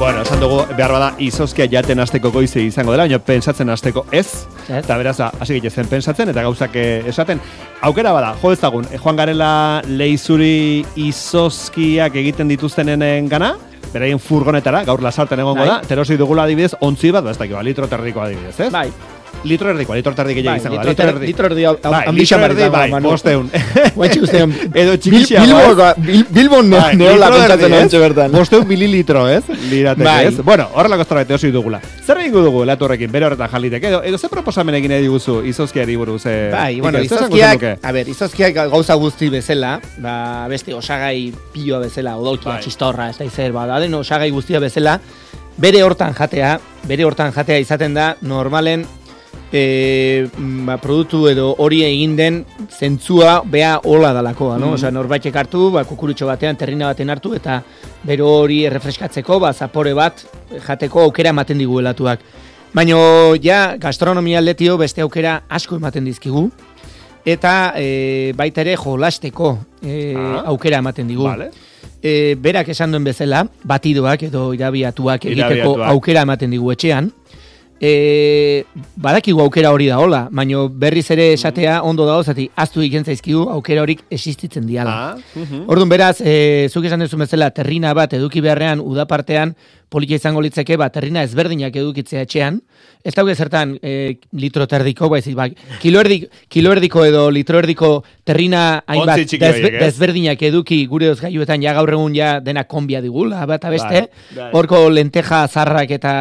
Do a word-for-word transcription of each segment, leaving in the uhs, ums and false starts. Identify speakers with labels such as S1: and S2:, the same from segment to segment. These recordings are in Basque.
S1: Bueno, esan dugu, behar bada, izozkia jaten hasteko goize izango dela, baina pentsatzen hasteko ez. Eta beraz, hasi gitzen pentsatzen, eta gauzak esaten. Aukera bada, jo ezagun, joan garela leizuri izozkiak egiten dituztenen gana, beraien furgonetara, gaur lasarten egongo da, terosi dugula adibidez, ontzi bat, ez dakit, litro terriko adibidez, ez?
S2: Bai.
S1: Litro erdiko, litro erdi gehiago izango da.
S2: Litro erdi. Litro erdi
S1: ambizia marita. Bai, bosteun.
S2: Guantxe ustean.
S1: Edo txikixia.
S2: Bilbon neola kontzatzen ontxe bertan.
S1: Bosteun mililitro, ez? Lirateke, ez? Bueno, horrelako zerbait osi dugula. Zer egingo dugu, elatu horrekin, bere horretan jaliteke, edo, edo ze proposamen egin ediguzu izozkiari buruz?
S2: Bai, bueno, izozkiak, a ber, izozkiak gauza guzti bezala, ba, beste osagai pioa bezala, odolkia, txistorra, ez da izer, ba, da den osagai guztia bezala, bere hortan jatea, bere hortan jatea izaten da, normalen, E, ba, produktu edo hori egin den zentzua bea hola dalakoa, no? Mm. Osea, norbaitek hartu, ba, kukurutxo batean, terrina baten hartu, eta bero hori errefreskatzeko, ba, zapore bat jateko aukera ematen digu helatuak. Baina, ja, gastronomia aldetik beste aukera asko ematen dizkigu, eta e, baita ere jolasteko e, ah. aukera ematen digu. Vale. E, berak esan duen bezala, batidoak edo irabiatuak egiteko irabiatuak. Aukera ematen digu etxean, E, badakigu aukera hori da hola, baina berriz ere esatea ondo dago, zati aztu egiten zaizkigu aukera horik existitzen diala. Ah, uh-huh. Orduan beraz, e, zuk esan duzu bezala, terrina bat eduki beharrean, udapartean, politia izango litzeke, ba, terrina ezberdinak edukitzea etxean, ez dauke zertan e, litro terdiko, baizik, ba, kilo, erdik, kilo erdiko edo litro erdiko terrina hainbat desbe, desberdinak eduki gure ozgailuetan ja gaur egun ja dena konbia digula, bat abeste, horko lenteja zarrak eta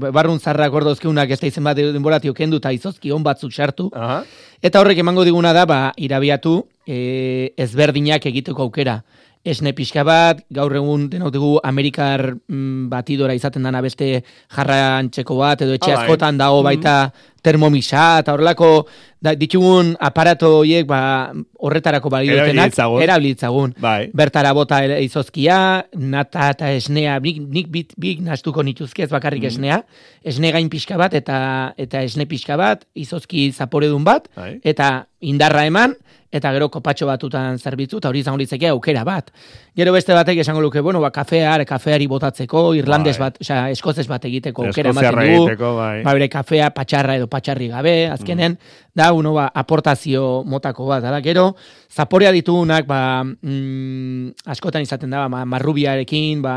S2: barrun zarrak ordo dozkeunak ez da izen bat denboratio kendu eta izozki on batzuk sartu. Aha. Eta horrek emango diguna da, ba, irabiatu e, ezberdinak egiteko aukera. Esne pixka bat, gaur egun denok dugu Amerikar mm, batidora izaten dana beste jarrantxeko bat, edo etxe askotan dago baita termomisa, eta horrelako da, ditugun aparato horiek ba, horretarako balioetenak, erabilitzagun. Bai. Bertara bota izozkia, nata eta esnea, nik, nik bit, bik nastuko nituzke ez bakarrik mm. esnea, esne gain pixka bat, eta eta esne pixka bat, izozki zaporedun bat, bai. Eta indarra eman, eta gero kopatxo batutan zerbitzu, eta hori izango litzeke aukera bat. Gero beste batek esango luke, bueno, ba, kafear, kafeari botatzeko, irlandes bai. Bat, osea, eskozez bat egiteko aukera ematen dugu, bai. Ba, bere kafea, patxarra edo patxarri gabe, azkenen, mm. da, uno, ba, aportazio motako bat, da, gero, zaporea ditugunak, ba, mm, askotan izaten da, ba, marrubiarekin, ba,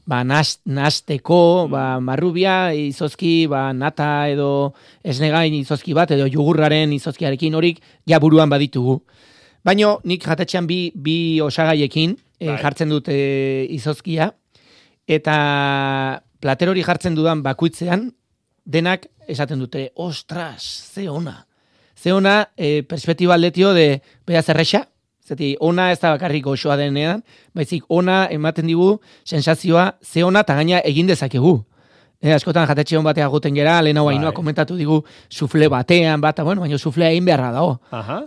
S2: ba, nasteko, mm. ba, marrubia, izozki, ba, nata edo esnegain izozki bat, edo jugurraren izozkiarekin horik, ja buruan baditugu. Baina nik jatetxean bi, bi osagaiekin e, jartzen dut e, izozkia, eta plater hori jartzen dudan bakuitzean, denak esaten dute, ostras, ze ona. Ze ona, e, perspektiba aldetio de, bea zerrexa, zeti, ona ez da bakarrik osoa denean, baizik, ona ematen digu sensazioa, ze ona eta gaina egin dezakegu. E, askotan jatetxe hon batea guten gera, lehenago hainua komentatu digu sufle batean, bata, bueno, baina suflea egin beharra dago.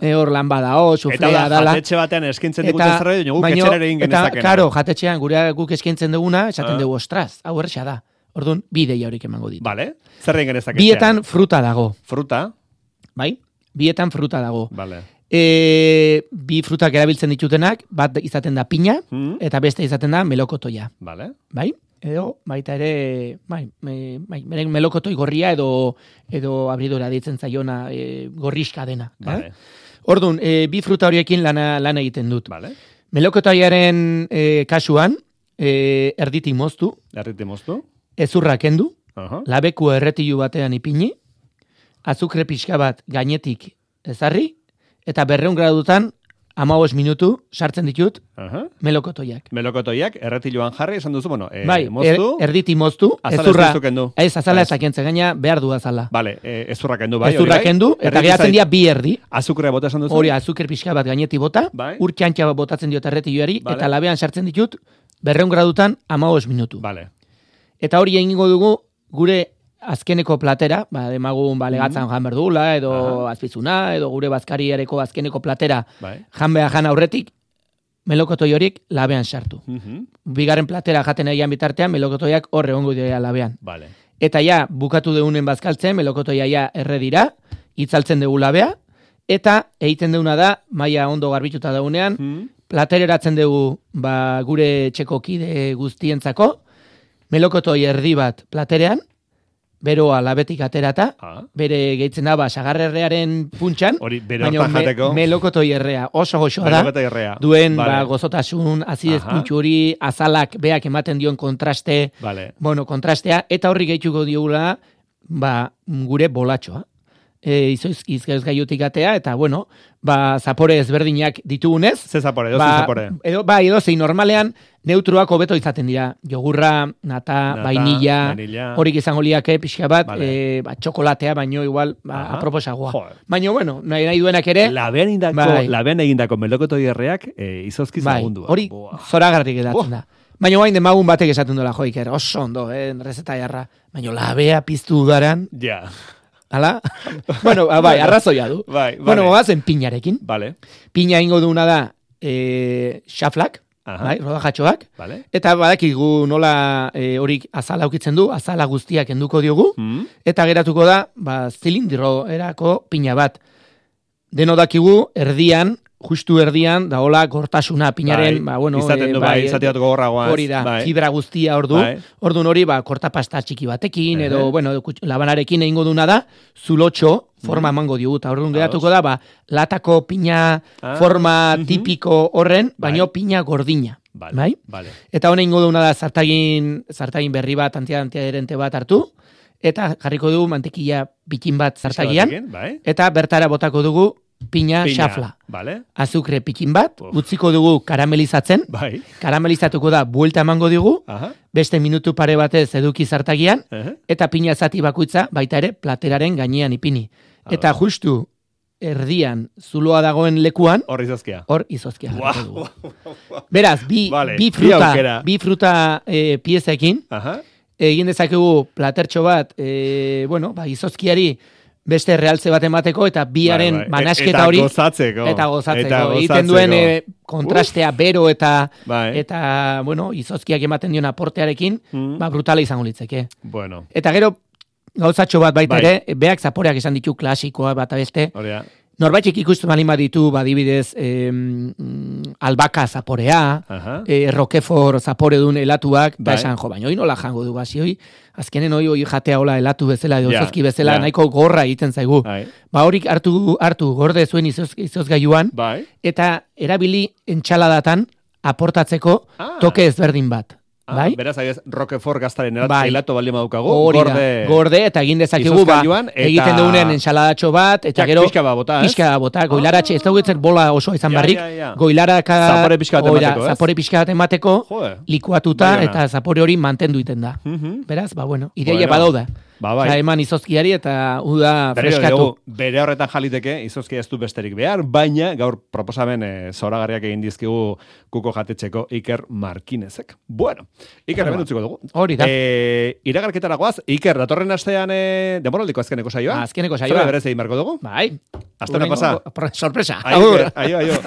S2: E, hor lan badao, suflea
S1: dala.
S2: Eta da,
S1: jatetxe batean eskintzen dugu zerbait, guk etxerer egin genezakena.
S2: Eta, karo, jatetxean gure guk eskintzen duguna, esaten dugu, ostras, hau erresa da. Orduan, bi ideia horik emango ditu.
S1: Vale, zer egin genezakena?
S2: Bietan fruta dago.
S1: Fruta?
S2: Bai, bietan fruta dago.
S1: Vale.
S2: E, bi frutak erabiltzen ditutenak, bat izaten da pina, hmm. eta beste izaten da melokotoia.
S1: Vale.
S2: Bai? Edo, baita ere, bai, me, bai, melokotoi gorria edo edo abridora ditzen zaiona e, gorriska dena. Vale. Eh? Orduan, e, bi fruta horiekin lana, lana egiten dut. Vale. Melokotoiaren e, kasuan, e, erditi moztu.
S1: Erditi moztu.
S2: Ezurra kendu.
S1: Uh-huh.
S2: Labeku erretilu batean ipini. Azukre pixka bat gainetik ezarri. Eta berreun gradutan, hamabost minutu sartzen ditut uh-huh. melokotoiak.
S1: Melokotoiak, erretiluan jarri, esan duzu, bueno, e,
S2: bai,
S1: moztu.
S2: Er, erditi moztu.
S1: Azala ezurra, ez kendu.
S2: Ez, azala ez akentzen, gaina behar du azala.
S1: Vale, e, ezurra kendu, bai.
S2: Ezurra kendu, eta geratzen dira bi erdi.
S1: Azukrea bota esan duzu?
S2: Hori, azuker pixka bat gaineti bota, bai. Ur txantxa bat botatzen diot erretiluari, vale. Eta labean sartzen ditut, berreun gradutan, hamabost minutu. Vale. Eta hori egingo dugu, gure azkeneko platera, ba, demagun ba, legatzan mm-hmm. jan berdula, edo aha. Azpizuna, edo gure bazkariareko azkeneko platera bai. Jan beha jan aurretik, melokotoi horiek labean sartu. Mm-hmm. Bigarren platera jaten egian bitartean, melokotoiak horre ongo dira labean. Vale. Eta ja, bukatu deunen bazkaltzen, melokotoia ja erre dira, itzaltzen dugu labea, eta egiten deuna da, maila ondo garbituta daunean, mm-hmm. platereratzen dugu ba, gure etxeko kide guztientzako, melokotoi erdi bat platerean, beroa labetik aterata,
S1: ah.
S2: bere gehitzen da, ba, sagarrerrearen puntxan,
S1: baina
S2: me, melokotoi errea, oso goxoa da, duen vale. ba, gozotasun, azidez puntxu hori, azalak beak ematen dion kontraste,
S1: vale.
S2: bueno, kontrastea, eta horri gehituko diogula, ba, gure bolatxoa. E, izoiz, izgaiz gaiotik atea, eta, bueno, ba, zapore ezberdinak ditugunez.
S1: Ze zapore, edo
S2: ba,
S1: zapore.
S2: Edo, ba, edo zein normalean, neutruak hobeto izaten dira. Jogurra, nata, nata vainilla, horik izango liake, pixka bat, vale. e, ba, txokolatea, baino igual, ba, aproposagoa. Baina, bueno, nahi, nahi duenak ere.
S1: Labean egindako, bai. labean egindako melokotoi erreak, e, izozkiz
S2: bai.
S1: agundua.
S2: Hori, zoragarrik edatzen da. Baina guain demagun batek esaten dola, jo, Iker, oso ondo, eh, rezeta jarra. Baina labea piztu udaran.
S1: Ja.
S2: Hala? Bueno, bai, arrazoia du.
S1: Bai,
S2: bueno, goazen pinarekin.
S1: Vale.
S2: Pina ingo duna da e, xaflak, bai, rodajatxoak.
S1: Vale.
S2: Eta badakigu nola e, horik azala ukitzen du, azala guztiak enduko diogu. Mm. Eta geratuko da, ba, zilindro erako pina bat. Deno dakigu, erdian, justu erdian, da hola gortasuna pinaren, bai, ba, bueno,
S1: izaten du, e, bai, bai izateat gogorragoaz.
S2: Hori da,
S1: bai.
S2: fibra guztia ordu, bai. Ordun hori, ba, kortapasta txiki batekin, uh-huh. edo, bueno, labanarekin egingo duna da, zulotxo, forma emango diogu, eta orduan geratuko da, ba, latako pina ah. forma uh-huh. tipiko horren, baino bai. Pina gordina.
S1: Vale.
S2: Bai?
S1: Vale.
S2: Eta honen ingo duna da, zartagin, zartagin berri bat, antiadherente bat hartu, eta jarriko du mantekila bikin bat zartagian,
S1: bai.
S2: Eta bertara botako dugu, Pina, Pina xafla.
S1: Vale.
S2: Azukre pikin bat, Uf. utziko dugu karamelizatzen.
S1: Bai.
S2: Karamelizatuko da, buelta emango digu,
S1: Aha.
S2: beste minutu pare batez eduki zartagian,
S1: uh-huh.
S2: eta pina zati bakoitza baita ere plateraren gainean ipini. Ah, eta justu erdian zuloa dagoen lekuan,
S1: hor izozkia.
S2: Hor izozkia. Wow. Beraz, bi,
S1: vale.
S2: bi fruta, bi fruta e, piezekin, uh-huh. egin dezakegu platertxo bat, e, bueno, ba, izozkiari, beste realtze bat emateko, eta biaren bai, bai. manasketa hori.
S1: Eta gozatzeko.
S2: Eta gozatzeko. Egiten duen e, kontrastea Uf. bero eta,
S1: bai.
S2: eta bueno, izozkiak ematen dion aportearekin, mm. ba, brutala izango litzeke.
S1: Bueno.
S2: Eta gero, gauzatxo bat baita
S1: bai.
S2: ere, beak zaporeak esan ditu klasikoa bat abeste.
S1: Horia.
S2: Norbaitek ikusten bali ditu, badibidez, eh, albaka zaporea, uh-huh. eh, roquefort zapore duen elatuak, eta esan, jo, baina hoi nola jango du bazi, hoi, azkenen hoi, hoi jatea hola elatu bezala, edo yeah, zozki bezala, yeah. nahiko gorra egiten zaigu. Bai. Ba horik hartu, hartu gorde zuen izoz, izozgailuan,
S1: bai.
S2: Eta erabili entxaladatan aportatzeko ah. toke ezberdin bat.
S1: Ah,
S2: bai?
S1: Beraz, agiz, Roquefort gaztaren erat, bai. Elato bali madukagu,
S2: gorde, gorde, eta egin dezakigu, ba, eta... egiten dugunean ensaladatxo bat, eta gero,
S1: pixka bat bota,
S2: pixka bat bota, goilaratxe, ez dugutzen bola oso izan barrik,
S1: ja, ja, ja.
S2: goilaraka,
S1: zapore pixka bat emateko, ez?
S2: Zapore pixka bat emateko,
S1: Joder.
S2: Likuatuta, bai, eta zapore hori mantendu iten da. Uh-huh. Beraz, ba, bueno, ideia bueno. badauda.
S1: Ba, bai.
S2: Osa, eman izozkiari eta uda freskatu.
S1: Dugu, bere horretan jaliteke, izozkia ez du besterik behar, baina gaur proposamen e, zoragarriak egin dizkigu kuko jatetxeko Iker Markinezek. Bueno, Iker, hemen utziko dugu.
S2: Hori da.
S1: E, iragarketara goaz, Iker, datorren astean e, demoraldiko azkeneko saioa?
S2: Azkeneko saioa.
S1: Zora berez egin marko dugu?
S2: Bai.
S1: Astena pasa.
S2: Sorpresa.
S1: Aio, aio, aio.